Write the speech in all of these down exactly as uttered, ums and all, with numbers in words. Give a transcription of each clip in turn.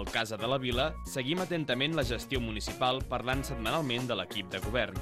Al Casa de la Vila seguim atentament la gestió municipal parlant setmanalment de l'equip de govern.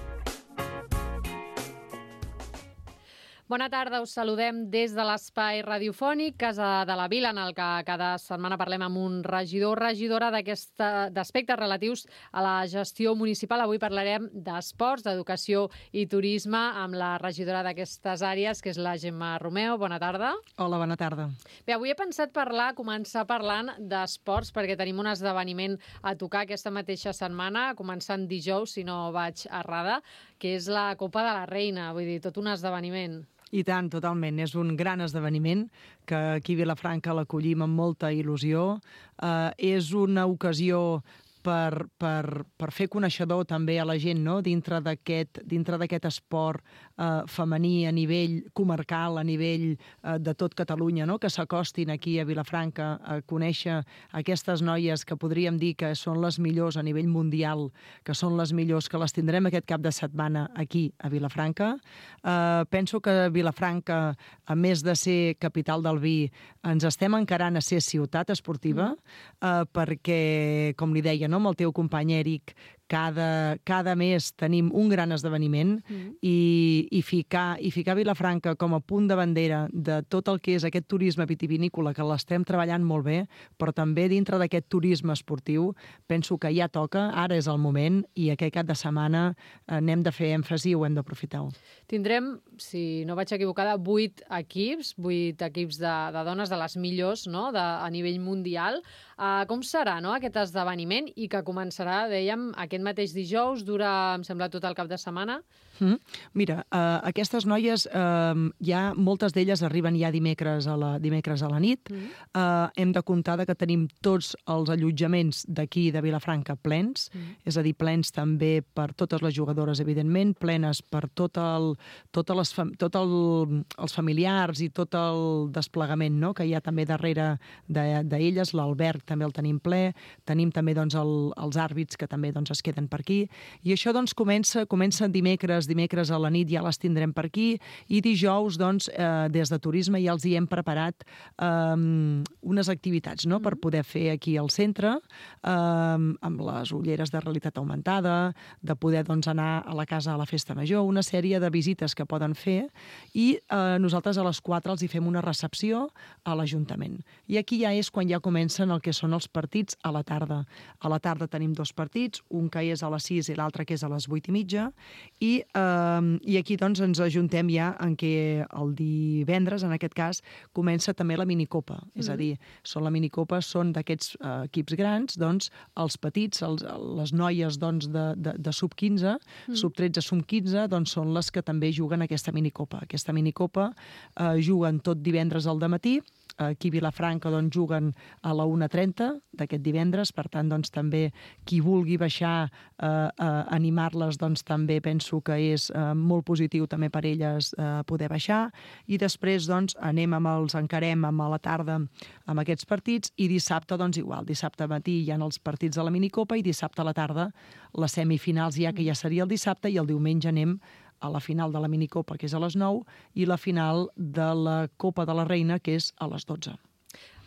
Bona tarda, us saludem des de l'espai radiofònic Casa de la Vila, en el que cada setmana parlem amb un regidor o regidora d'aspectes relatius a la gestió municipal. Avui parlarem d'esports, d'educació i turisme amb la regidora d'aquestes àrees, que és la Gemma Romeo. Bona tarda. Hola, bona tarda. Bé, avui he pensat parlar, començar parlant d'esports, perquè tenim un esdeveniment a tocar aquesta mateixa setmana, començant dijous, si no vaig errada, que és la Copa de la Reina, vull dir, tot un esdeveniment. I tant, totalment. És un gran esdeveniment que aquí a Vilafranca l'acollim amb molta il·lusió. Eh, és una ocasió per, per, per fer coneixedor també a la gent, no? dintre d'aquest dintre d'aquest esport eh, femení a nivell comarcal, a nivell eh, de tot Catalunya, no? Que s'acostin aquí a Vilafranca a conèixer aquestes noies que podríem dir que són les millors a nivell mundial, que són les millors, que les tindrem aquest cap de setmana aquí a Vilafranca. Eh, penso que Vilafranca, a més de ser capital del vi, ens estem encarant a ser ciutat esportiva, eh, perquè, com li deia, no? Amb el teu company Eric, cada, cada mes tenim un gran esdeveniment mm. i, i, ficar, i ficar Vilafranca com a punt de bandera de tot el que és aquest turisme vitivinícola, que l'estem treballant molt bé, però també dintre d'aquest turisme esportiu, penso que ja toca, ara és el moment, i aquest cap de setmana n'hem de fer èmfasi i ho hem d'aprofitar. Tindrem, si no vaig equivocada, vuit equips, vuit equips de, de dones, de les millors, no? de, a nivell mundial. Uh, com serà, no? aquest esdeveniment, i que començarà, dèiem, aquest mateix dijous, dura, em sembla, tot el cap de setmana? Mm. Mira, uh, aquestes noies, uh, ja moltes d'elles arriben ja dimecres a la, dimecres a la nit. Mm. Uh, hem de comptar que tenim tots els allotjaments d'aquí de Vilafranca plens, mm. és a dir, plens també per totes les jugadores, evidentment, plenes per tot el, totes les, tot el, els familiars i tot el desplegament, no? que hi ha també darrere d'elles, de, l'alberg també el tenim ple, tenim també doncs, el, els àrbits que també doncs, es queden per aquí, i això doncs, comença, comença dimecres, dimecres a la nit ja les tindrem per aquí, i dijous doncs, eh, des de turisme ja els hi hem preparat eh, unes activitats, no? per poder fer aquí al centre, eh, amb les ulleres de realitat augmentada, de poder doncs, anar a la casa a la festa major, una sèrie de visites que poden fer, i eh, nosaltres a les quatre els hi fem una recepció a l'Ajuntament. I aquí ja és quan ja comencen el que són els partits a la tarda. A la tarda tenim dos partits, un que és a les sis i l'altre que és a les vuit i mitja, i, eh, i aquí doncs, ens ajuntem ja en què el divendres, en aquest cas, comença també la minicopa. Mm. És a dir, són la minicopa, són d'aquests eh, equips grans, doncs, els petits, els, les noies doncs, de, de, de sub quinze, mm. sub tretze, sub quinze, doncs són les que també juguen aquesta minicopa. Aquesta minicopa eh, juguen tot divendres al dematí. Aquí a Vilafranca doncs, juguen a la una trenta d'aquest divendres, per tant doncs, també qui vulgui baixar eh, a animar-les doncs, també penso que és eh, molt positiu també per elles eh, poder baixar, i després doncs, anem amb els encarem amb a la tarda amb aquests partits, i dissabte doncs igual, dissabte matí hi ha els partits de la minicopa i dissabte a la tarda les semifinals ja, que ja seria el dissabte, i el diumenge anem a la final de la minicopa, que és a les nou, i la final de la Copa de la Reina, que és a les dotze.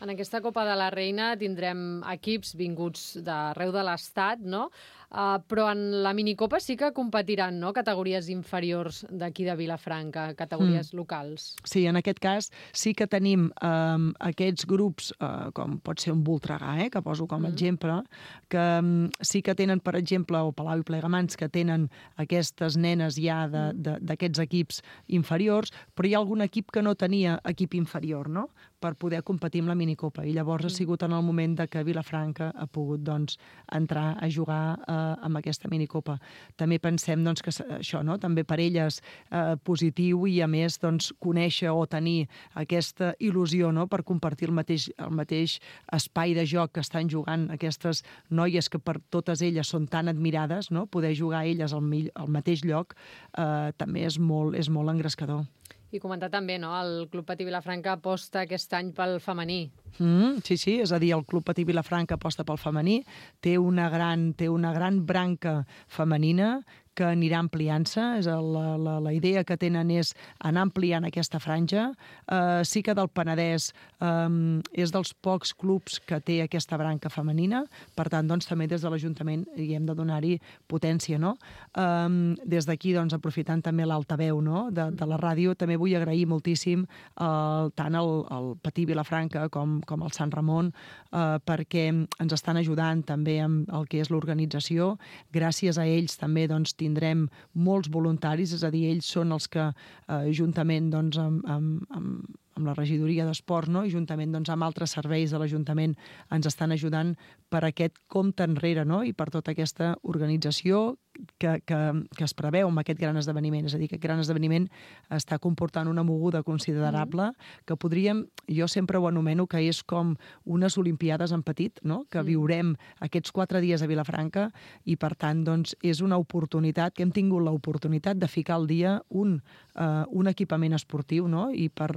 En aquesta Copa de la Reina tindrem equips vinguts d'arreu de l'Estat, no? Uh, però en la minicopa sí que competiran, no?, categories inferiors d'aquí de Vilafranca, categories mm. locals. Sí, en aquest cas sí que tenim um, aquests grups, uh, com pot ser un Voltregà, eh, que poso com a mm. exemple, que um, sí que tenen, per exemple, o Palau i Plegamans, que tenen aquestes nenes ja d'aquests equips inferiors, però hi ha algun equip que no tenia equip inferior, no?, per poder competir amb la minicopa. I llavors ha sigut en el moment de que Vilafranca ha pogut doncs, entrar a jugar eh, amb aquesta minicopa. També pensem doncs, que això, no? també per elles eh, positiu, i a més doncs, conèixer o tenir aquesta il·lusió, no? per compartir el mateix, el mateix espai de joc que estan jugant aquestes noies que per totes elles són tan admirades, no? poder jugar elles al, al mateix lloc eh, també és molt, és molt engrescador. I comentar també, no?, el Club Patí Vilafranca aposta aquest any pel femení. Mm, sí, sí, és a dir, el Club Patí Vilafranca aposta pel femení, té una gran, té una gran branca femenina que anirà ampliant-se. La, la, la idea que tenen és anar ampliant aquesta franja. Uh, sí que del Penedès um, és dels pocs clubs que té aquesta branca femenina, per tant, doncs, també des de l'Ajuntament hi hem de donar-hi potència, no? Um, des d'aquí, doncs, aprofitant també l'altaveu, no?, de, de la ràdio, també vull agrair moltíssim uh, tant el, el Patí Vilafranca com, com el Sant Ramon, uh, perquè ens estan ajudant també amb el que és l'organització. Gràcies a ells també doncs, tindrem molts voluntaris, és a dir, ells són els que, eh, juntament doncs, amb, amb, amb, amb la regidoria d'esports, no? I juntament doncs, amb altres serveis de l'Ajuntament ens estan ajudant per aquest compte enrere, no? I per tota aquesta organització que, que, que es preveu amb aquest gran esdeveniment. És a dir, que aquest gran esdeveniment està comportant una moguda considerable mm. que podríem, jo sempre ho anomeno que és com unes Olimpiades en petit, no? Que mm. viurem aquests quatre dies a Vilafranca i, per tant, doncs, és una oportunitat, que hem tingut l'oportunitat de ficar al dia un, uh, un equipament esportiu, no? I per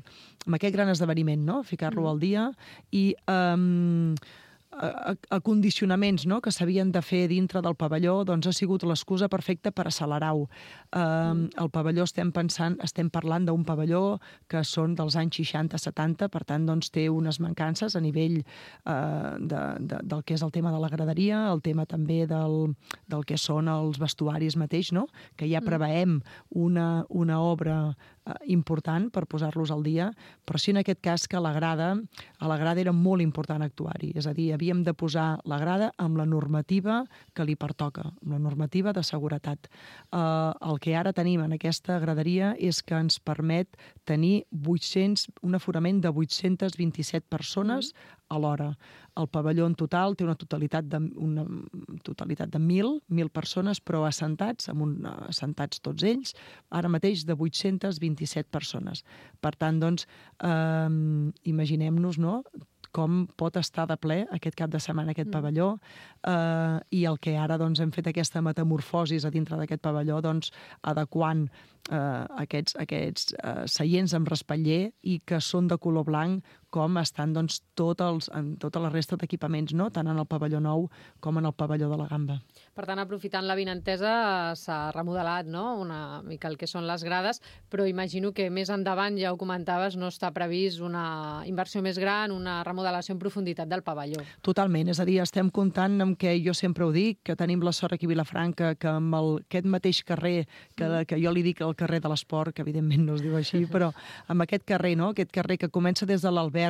amb aquest gran esdeveniment, no? Ficar-lo mm. al dia i um, acondicionaments, no?, que s'havien de fer dintre del pavelló, doncs ha sigut l'excusa perfecta per accelerar-ho. Um, el pavelló estem pensant, estem parlant d'un pavelló que són dels anys seixanta setanta, per tant, doncs té unes mancances a nivell uh, de, de, del que és el tema de la graderia, el tema també del, del que són els vestuaris mateix, no?, que ja preveem una, una obra uh, important per posar-los al dia, però sí en aquest cas que a la grada, a la grada era molt important actuar-hi, és a dir, havíem de posar la grada amb la normativa que li pertoca, amb la normativa de seguretat. Uh, el que ara tenim en aquesta graderia és que ens permet tenir vuit-cents, un aforament de vuit-cents vint-i-set persones a l'hora. El pavelló en total té una totalitat de, una totalitat de mil, mil persones, però assentats, amb un, assentats tots ells, ara mateix de vuit-cents vint-i-set persones. Per tant, doncs, eh, imaginem-nos, no?, com pot estar de ple aquest cap de setmana aquest mm. pavelló, eh, i el que ara doncs, hem fet aquesta metamorfosis a dintre d'aquest pavelló, doncs, adequant eh, aquests, aquests eh, seients amb respatller i que són de color blanc, com estan doncs, tot els, en tota la resta d'equipaments, no?, tant en el pavelló nou com en el pavelló de la Gamba. Per tant, aprofitant l'avinentesa, s'ha remodelat, no?, una mica el que són les grades, però imagino que més endavant, ja ho comentaves, no està previst una inversió més gran, una remodelació en profunditat del pavelló. Totalment, és a dir, estem comptant amb què jo sempre ho dic, que tenim la sort aquí a Vilafranca, que amb el, aquest mateix carrer, que, que jo li dic el carrer de l'esport, que evidentment no es diu així, però amb aquest carrer, no?, aquest carrer que comença des de l'Alberg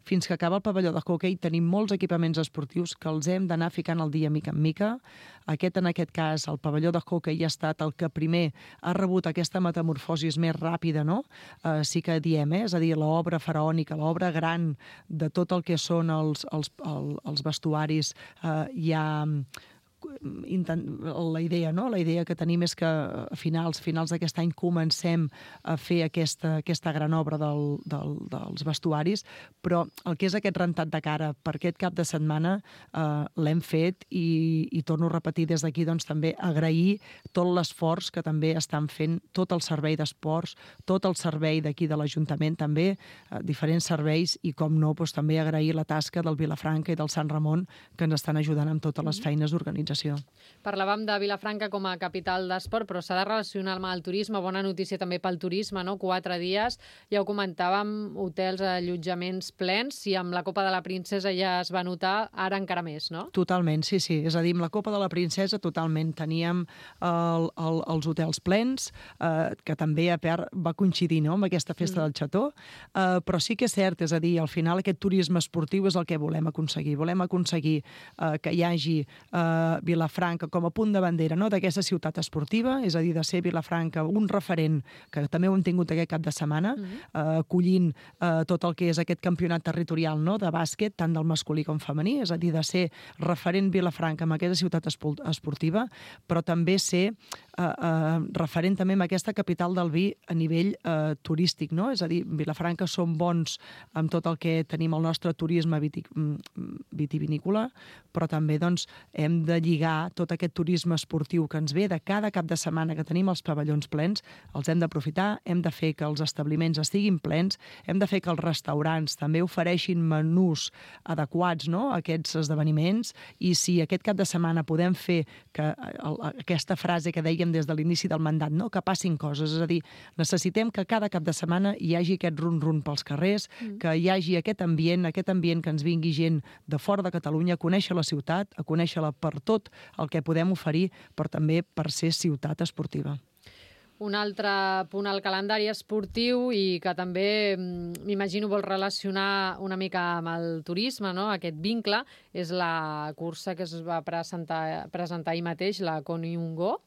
fins que acaba el pavelló de hoquei, tenim molts equipaments esportius que els hem d'anar ficant al dia mica en mica. Aquest, en aquest cas, el pavelló de hoquei ha estat el que primer ha rebut aquesta metamorfosis més ràpida, no? Uh, sí que diem, eh? És a dir, l'obra faraònica, l'obra gran de tot el que són els, els, els, els vestuaris, uh, ja... la idea, no? La idea que tenim és que a finals, finals d'aquest any comencem a fer aquesta, aquesta gran obra del, del, dels vestuaris, però el que és aquest rentat de cara per aquest cap de setmana eh, l'hem fet i, i torno a repetir des d'aquí doncs, també agrair tot l'esforç que també estan fent tot el servei d'esports, tot el servei d'aquí de l'Ajuntament també, eh, diferents serveis i com no, doncs, també agrair la tasca del Vilafranca i del Sant Ramon que ens estan ajudant amb totes les feines d'organització. Parlàvem de Vilafranca com a capital d'esport, però s'ha de relacionar amb el turisme. Bona notícia també pel turisme, no? Quatre dies, ja ho comentàvem, hotels, allotjaments plens, i amb la Copa de la Princesa ja es va notar, ara encara més, no? Totalment, sí, sí. És a dir, amb la Copa de la Princesa totalment teníem el, el, els hotels plens, eh, que també a part va coincidir, no?, amb aquesta festa mm. del Xató, eh, però sí que és cert, és a dir, al final aquest turisme esportiu és el que volem aconseguir. Volem aconseguir eh, que hi hagi eh, Vilafranca com a punt de bandera, no?, d'aquesta ciutat esportiva, és a dir, de ser Vilafranca un referent, que també ho hem tingut aquest cap de setmana, mm-hmm. eh, acollint eh, tot el que és aquest campionat territorial, no?, de bàsquet, tant del masculí com femení, és a dir, de ser referent Vilafranca en aquesta ciutat esportiva, però també ser eh, eh, referent també en aquesta capital del vi a nivell eh, turístic, no? És a dir, Vilafranca som bons amb tot el que tenim el nostre turisme viti, vitivinícola, però també doncs, hem de lligar tot aquest turisme esportiu que ens ve de cada cap de setmana que tenim els pavellons plens, els hem d'aprofitar, hem de fer que els establiments estiguin plens, hem de fer que els restaurants també ofereixin menús adequats, no?, a aquests esdeveniments, i si aquest cap de setmana podem fer que aquesta frase que dèiem des de l'inici del mandat, no?, que passin coses, és a dir, necessitem que cada cap de setmana hi hagi aquest run-run pels carrers, mm. que hi hagi aquest ambient, aquest ambient que ens vingui gent de fora de Catalunya a conèixer la ciutat, a conèixer-la per tot el que podem oferir, però també per ser ciutat esportiva. Un altre punt al calendari esportiu i que també m'imagino vol relacionar una mica amb el turisme, no?, aquest vincle, és la cursa que es va presentar, presentar ahir mateix, la Koniungo.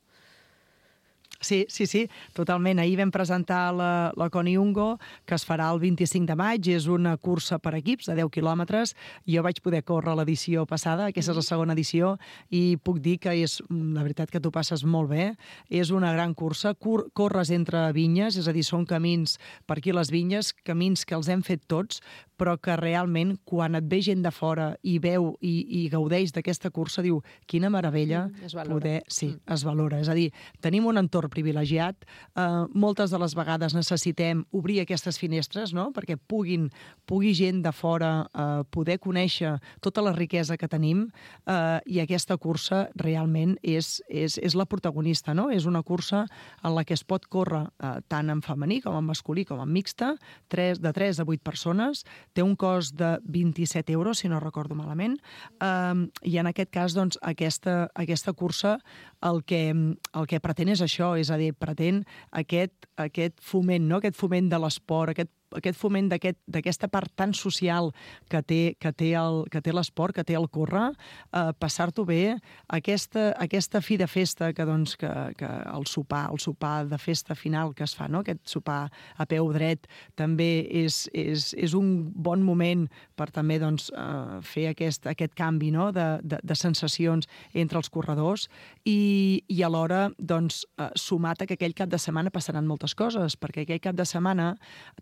Sí, sí, sí, totalment. Ahir vam presentar la, la Koniungo, que es farà el vint-i-cinc de maig. És una cursa per equips de deu quilòmetres. Jo vaig poder córrer l'edició passada, aquesta és la segona edició, i puc dir que és, la veritat, que t'ho passes molt bé. És una gran cursa. Cor corres entre vinyes, és a dir, són camins per aquí les vinyes, camins que els hem fet tots, però que realment, quan et ve gent de fora i veu i, i gaudeix d'aquesta cursa, diu, quina meravella mm, poder... Sí, mm. es valora. És a dir, tenim un entorn privilegiat. Uh, moltes de les vegades necessitem obrir aquestes finestres, no?, perquè puguin, pugui gent de fora uh, poder conèixer tota la riquesa que tenim, uh, i aquesta cursa realment és, és, és la protagonista, no? És una cursa en la que es pot córrer uh, tant en femení com en masculí com en mixta, tres, de tres a vuit persones, té un cost de vint-i-set euros, si no recordo malament, um, i en aquest cas, doncs, aquesta, aquesta cursa el que, el que pretén és això, és a dir, pretén aquest, aquest foment, no?, aquest foment de l'esport, aquest aquest foment d'aquesta part tan social que té, que té el, que té l'esport, que té el córrer, eh, passar-t'ho bé, aquesta, aquesta fi de festa, que, doncs, que, que el sopar, el sopar de festa final que es fa, no?, aquest sopar a peu dret, també és, és, és un bon moment per també, doncs, eh, fer aquest, aquest canvi, no?, de, de, de sensacions entre els corredors, i, i alhora, doncs, eh, sumat a que aquell cap de setmana passaran moltes coses, perquè aquell cap de setmana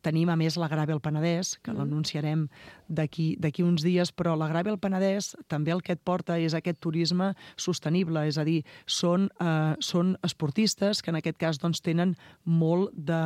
tenim, a més, la Gravel Penedès, que mm. l'anunciarem d'aquí d'aquí uns dies, però la Gravel Penedès també el que et porta és aquest turisme sostenible, és a dir, són, eh, són esportistes que en aquest cas, doncs, tenen molt de...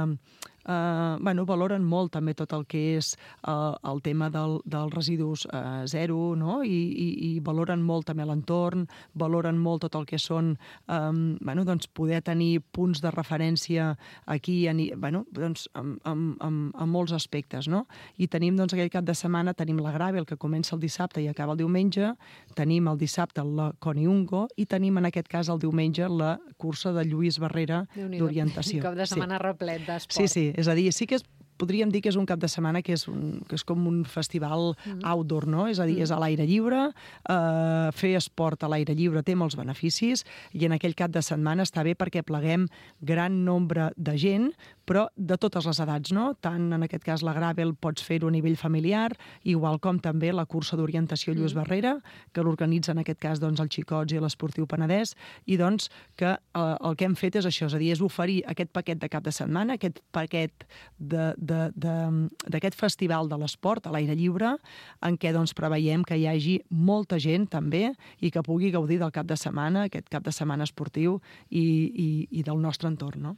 Uh, bueno, valoren molt també tot el que és uh, el tema del, dels residus uh, zero, no?, I, i, i valoren molt també l'entorn, valoren molt tot el que són, um, bueno, doncs poder tenir punts de referència aquí, en, bueno, doncs, en, en, en, en molts aspectes, no? I tenim, doncs, aquell cap de setmana, tenim la Gravel, que comença el dissabte i acaba el diumenge, tenim el dissabte la Koniungo, i tenim, en aquest cas, el diumenge, la cursa de Lluís Barrera d'orientació. Un cap de setmana sí. replet d'esport. Sí, sí. És a dir, sí que és, podríem dir que és un cap de setmana que és, un, que és com un festival mm. outdoor, no? És a dir, mm. és a l'aire lliure, eh, fer esport a l'aire lliure té molts beneficis, i en aquell cap de setmana està bé perquè pleguem gran nombre de gent, però de totes les edats, no? Tant, en aquest cas, la Gravel pots fer-ho a nivell familiar, igual com també la cursa d'orientació Lluís mm. Barrera, que l'organitza, en aquest cas, doncs, el Xicots i l'Esportiu Penedès, i doncs que eh, el que hem fet és això, és a dir, és oferir aquest paquet de cap de setmana, aquest paquet de, d'aquest festival de l'esport a l'aire lliure, en què, doncs, preveiem que hi hagi molta gent també i que pugui gaudir del cap de setmana, aquest cap de setmana esportiu i, i, i del nostre entorn, no?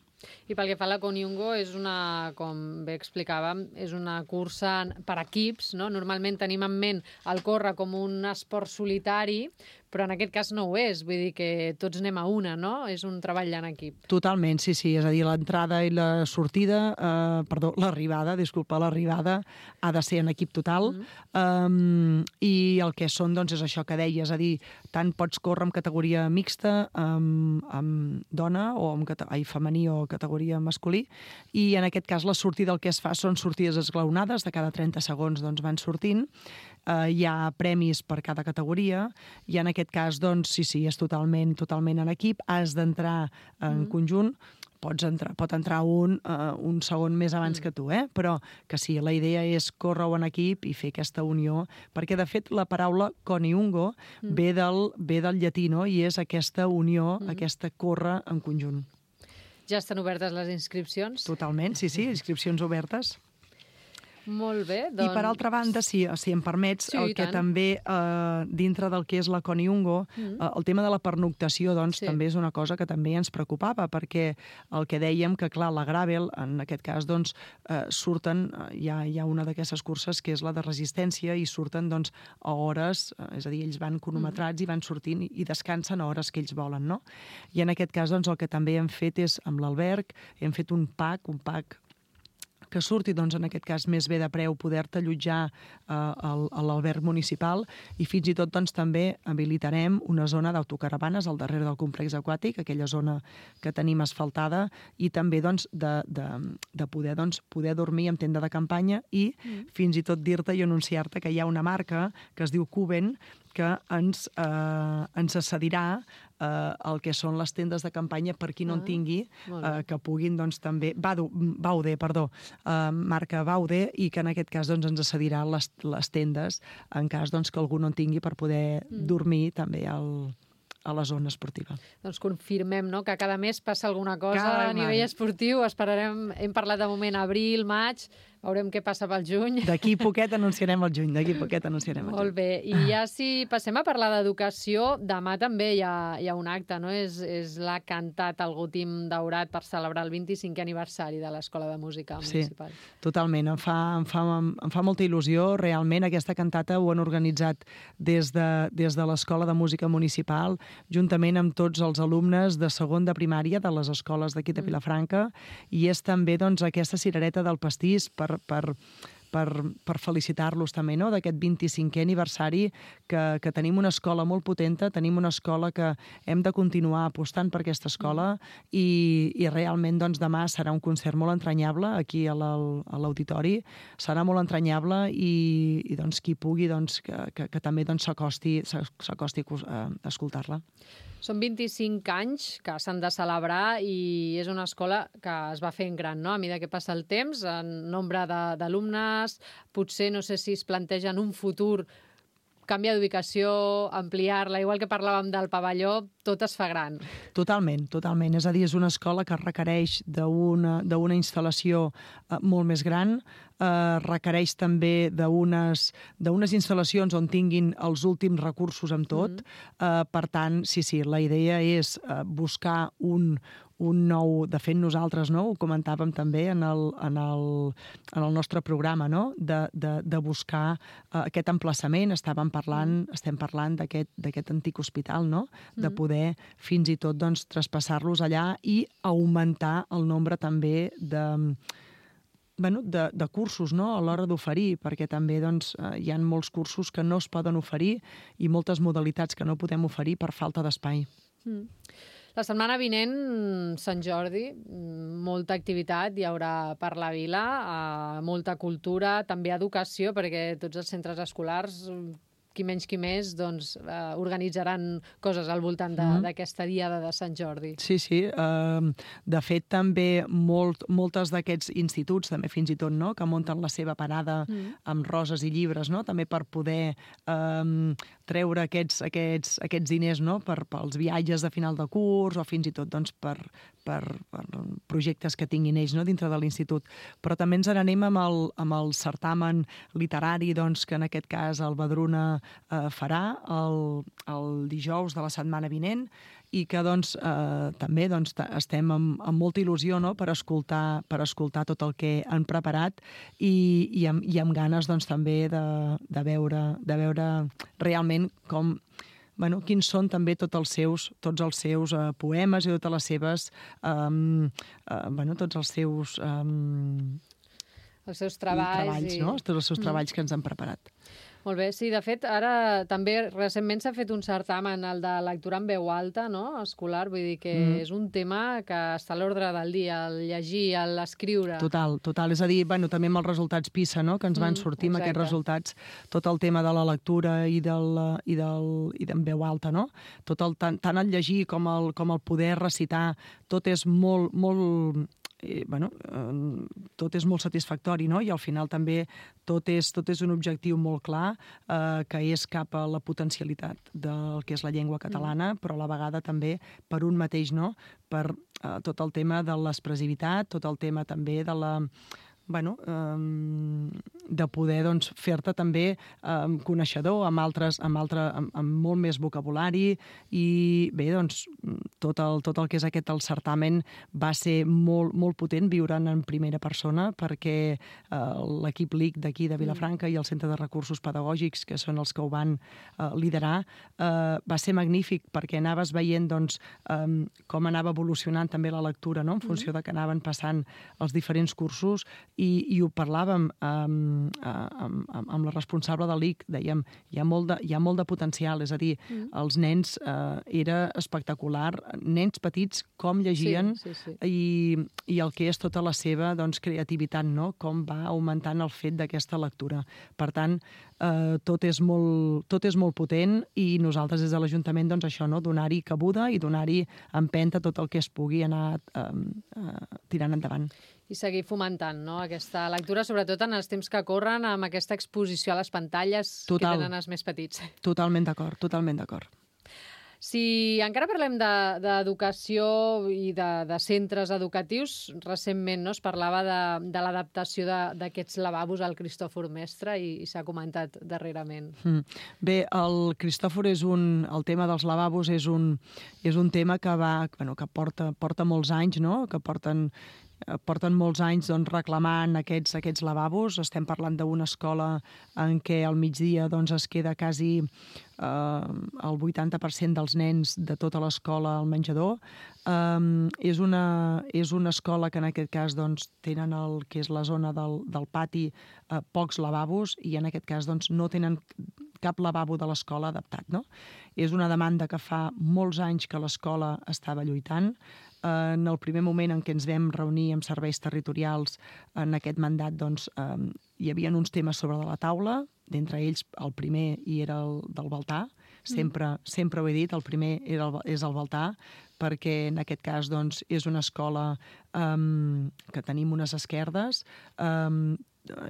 I pel que fa a la Koniungo, és una, com bé explicàvem, és una cursa per equips, no? Normalment tenim en ment el córrer com un esport solitari, però en aquest cas no ho és, vull dir que tots anem a una, no? És un treball en equip. Totalment, sí, sí, és a dir, l'entrada i la sortida, eh, perdó, l'arribada, disculpa, l'arribada ha de ser en equip total, mm. um, i el que són, doncs, és això que deies, és a dir, tant pots córrer en categoria mixta, amb, amb dona, o amb ai, femení o categoria masculí, i en aquest cas la sortida el que es fa són sortides esglaonades, de cada trenta segons doncs, van sortint, eh, hi ha premis per cada categoria, i en aquest cas, doncs, sí, sí, és totalment, totalment en equip, has d'entrar en mm. conjunt, pots entrar, pot entrar un, uh, un segon més abans mm. que tu, eh? Però que sí, la idea és córrer en equip i fer aquesta unió, perquè de fet la paraula Koniungo mm. ve, del, ve del llatí, no? I és aquesta unió, mm. aquesta córrer en conjunt. Ja estan obertes les inscripcions? Totalment, sí, sí, inscripcions obertes. Molt bé, doncs... I per altra banda, si, si em permets, sí, el que tant. també, eh, dintre del que és la Coniungo, mm. eh, el tema de la pernoctació, doncs, sí. també és una cosa que també ens preocupava, perquè el que dèiem que, clar, la Gravel, en aquest cas, doncs, eh, surten, eh, hi, ha, hi ha una d'aquestes curses que és la de resistència, i surten, doncs, a hores, eh, és a dir, ells van cronometrats mm. i van sortint i descansen a hores que ells volen, no? I en aquest cas, doncs, el que també hem fet és, amb l'alberg, hem fet un pack, un pack que surti, doncs, en aquest cas, més bé de preu poder-te allotjar eh, a l'alberg municipal, i fins i tot, doncs, també habilitarem una zona d'autocaravanes al darrere del complex aquàtic, aquella zona que tenim asfaltada, i també, doncs, de, de, de poder, doncs, poder dormir en tenda de campanya, i mm. fins i tot dir-te i anunciar-te que hi ha una marca que es diu Cuben, que ens, eh, ens cedirà eh, el que són les tendes de campanya per qui no en tingui, eh, que puguin, doncs, també... Baude, Baude perdó, eh, marca Baude, i que en aquest cas, doncs, ens cedirà les, les tendes en cas, doncs, que algú no en tingui, per poder mm. dormir també al, a la zona esportiva. Doncs confirmem, no?, que cada mes passa alguna cosa cada a nivell esportiu. Esperarem, hem parlat de moment abril, maig, veurem què passa pel juny. D'aquí poquet anunciarem el juny, d'aquí poquet anunciarem el juny. Molt bé, i ja si passem a parlar d'educació, demà també hi ha, hi ha un acte, no? És, és la Cantat al Gotim Daurat per celebrar el vint-i-cinquè aniversari de l'Escola de Música Municipal. Sí, totalment. Em fa, em fa, em fa molta il·lusió. Realment, aquesta cantata ho han organitzat des de, des de l'Escola de Música Municipal, juntament amb tots els alumnes de segon de primària de les escoles d'aquí de Vilafranca, i és també, doncs, aquesta cirereta del pastís per per, per, per felicitar-los també, no?, d'aquest vint-i-cinquè aniversari, que, que tenim una escola molt potenta, tenim una escola que hem de continuar apostant per aquesta escola, i, i realment, doncs, demà serà un concert molt entranyable aquí a l'auditori, serà molt entranyable, i, i doncs, qui pugui, doncs, que, que, que també, doncs, s'acosti s'acosti a escoltar-la. Són vint-i-cinc anys que s'han de celebrar, i és una escola que es va fent gran, no?, a mesura que passa el temps, en nombre d'alumnes, potser no sé si es plantegen un futur canviar d'ubicació, ampliar-la, igual que parlàvem del pavelló, tot es fa gran. Totalment, totalment. És a dir, és una escola que requereix d'una d'una instal·lació eh, molt més gran, eh, requereix també d'unes d'unes instal·lacions on tinguin els últims recursos amb tot. Mm-hmm. eh, per tant, sí, sí, la idea és eh, buscar un, un nou... De fet, nosaltres, no?, ho comentàvem també en el, en el, en el nostre programa, no?, de, de, de buscar uh, aquest emplaçament. Estàvem parlant, mm. estem parlant d'aquest d'aquest antic hospital, no?, de poder fins i tot, doncs, traspassar-los allà i augmentar el nombre també de... Bueno, de, de cursos, no?, a l'hora d'oferir, perquè també, doncs, hi ha molts cursos que no es poden oferir i moltes modalitats que no podem oferir per falta d'espai. Mm. La setmana vinent, Sant Jordi, molta activitat hi haurà per la vila, eh, molta cultura, també educació, perquè tots els centres escolars, qui menys qui més, doncs, eh, organitzaran coses al voltant d'aquesta mm. diada de Sant Jordi. Sí, sí. Uh, de fet, també molt, moltes d'aquests instituts, també fins i tot, no?, que munten la seva parada mm. amb roses i llibres, no?, també per poder um, treure aquests, aquests, aquests diners, no?, per, pels viatges de final de curs, o fins i tot, doncs, per, per, per projectes que tinguin ells, no?, dintre de l'institut. Però també ens n'anem amb el, amb el certamen literari, doncs, que en aquest cas el Badruna eh, farà el, el dijous de la setmana vinent, i que, doncs, eh, també, doncs, estem amb, amb molta il·lusió, no?, per escoltar, per escoltar tot el que han preparat, i, i, amb, i amb ganes, doncs, també de, de, veure, de veure realment com... Bueno, quins són també tots els seus, tots els seus uh, poemes i totes les seves... Um, uh, bueno, tots els seus... Um, els seus treballs. treballs, i... no? Tots els seus treballs mm. que ens han preparat. Molt bé, sí, de fet, ara també recentment s'ha fet un certamen, el de lectura en veu alta, no?, escolar, vull dir que mm. és un tema que està a l'ordre del dia, el llegir, l'escriure. Total, total. És a dir, bueno, també amb els resultats PISA, no?, que ens van sortir mm, amb aquests resultats, tot el tema de la lectura i del, i del, i d'en veu alta, no? Tot el, tant, tant el llegir com el, com el poder recitar, tot és molt, molt... Eh, bueno, eh, tot és molt satisfactori, no? I al final també tot és, tot és un objectiu molt clar, eh, que és cap a la potencialitat del que és la llengua catalana, mm. però a la vegada també per un mateix, no? Per eh, tot el tema de l'expressivitat, tot el tema també de la bueno, um, de poder doncs, fer-te també um, coneixedor amb, altres, amb, altre, amb, amb molt més vocabulari i bé, doncs, tot el, tot el que és aquest el certamen va ser molt, molt potent viure'n en primera persona perquè uh, l'equip L I C d'aquí de Vilafranca mm. i el Centre de Recursos Pedagògics, que són els que ho van uh, liderar, uh, va ser magnífic perquè anaves veient doncs, um, com anava evolucionant també la lectura, no? En funció mm. de que anaven passant els diferents cursos i, i ho parlàvem amb, amb, amb la responsable de l'I C, dèiem, hi ha, molt de, hi ha molt de potencial, és a dir, mm. els nens eh, era espectacular, nens petits com llegien sí, sí, sí. I, i el que és tota la seva doncs, creativitat, no? Com va augmentant el fet d'aquesta lectura. Per tant, eh, tot, és molt, tot és molt potent i nosaltres des de l'Ajuntament doncs, això, no? Donar-hi cabuda i donar-hi empenta tot el que es pugui anar eh, eh, tirant endavant. I seguir fomentant, no?, aquesta lectura, sobretot en els temps que corren, amb aquesta exposició a les pantalles Total. Que tenen els més petits. Totalment d'acord, totalment d'acord. Si encara parlem d'educació de, i de, de centres educatius, recentment no, es parlava de, de l'adaptació d'aquests lavabos al Cristòfor Mestre i, i s'ha comentat darrerament. Mm. Bé, el Cristòfor és un... El tema dels lavabos és un, és un tema que, va, bueno, que porta, porta molts anys, no?, que porten... porten molts anys doncs, reclamant aquests, aquests lavabos. Estem parlant d'una escola en què al migdia doncs, es queda quasi eh, el vuitanta per cent dels nens de tota l'escola al menjador. Um, és, una, és una escola que en aquest cas doncs, tenen el que és la zona del, del pati eh, pocs lavabos i en aquest cas doncs, no tenen cap lavabo de l'escola adaptat. No? És una demanda que fa molts anys que l'escola estava lluitant. En el primer moment en què ens vam reunir amb serveis territorials en aquest mandat, doncs, eh, hi havia uns temes sobre de la taula, d'entre ells el primer hi era el del Baltar, sempre, mm. sempre ho he dit, el primer era el, és el Baltar, perquè en aquest cas doncs, és una escola um, que tenim unes esquerdes, um,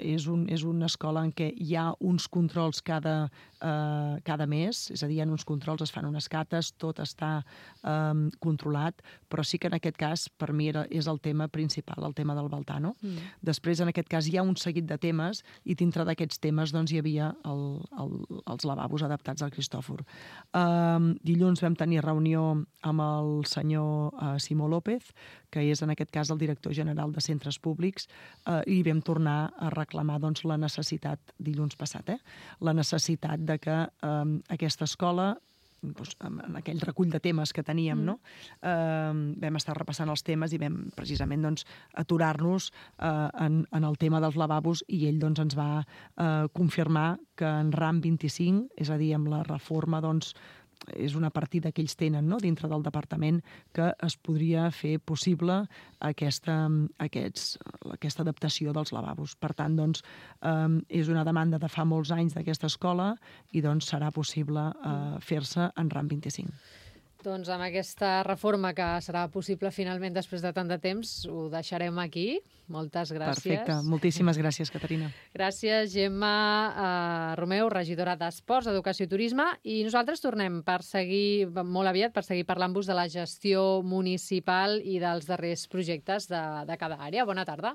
és, un, és una escola en què hi ha uns controls cada, uh, cada mes, és a dir, hi ha uns controls, es fan unes cates, tot està um, controlat, però sí que en aquest cas per mi era, és el tema principal, el tema del Baltar, no? Mm. Després, en aquest cas, hi ha un seguit de temes i dintre d'aquests temes doncs, hi havia el, el, els lavabos adaptats al Cristòfor. Um, dilluns vam tenir reunió amb el senyor uh, Simó López, que és en aquest cas el director general de centres públics, uh, i vam tornar a reclamar doncs, la necessitat, dilluns passat, eh? la necessitat de que um, aquesta escola, doncs, en aquell recull de temes que teníem, mm. no? uh, vam estar repassant els temes i vam precisament doncs, aturar-nos uh, en, en el tema dels lavabos i ell doncs, ens va uh, confirmar que en RAM vint-i-cinc, és a dir, amb la reforma doncs, és una partida que ells tenen no? dintre del departament que es podria fer possible aquesta, aquests, aquesta adaptació dels lavabos. Per tant, doncs, eh, és una demanda de fa molts anys d'aquesta escola i doncs, serà possible eh, fer-se en RAM vint-i-cinc. Doncs amb aquesta reforma que serà possible finalment després de tant de temps, ho deixarem aquí. Moltes gràcies. Perfecte. Moltíssimes gràcies, Caterina. Gràcies, Gemma eh, Romeu, regidora d'Esports, Educació i Turisme. I nosaltres tornem per seguir, molt aviat, per seguir parlant-vos de la gestió municipal i dels darrers projectes de, de cada àrea. Bona tarda.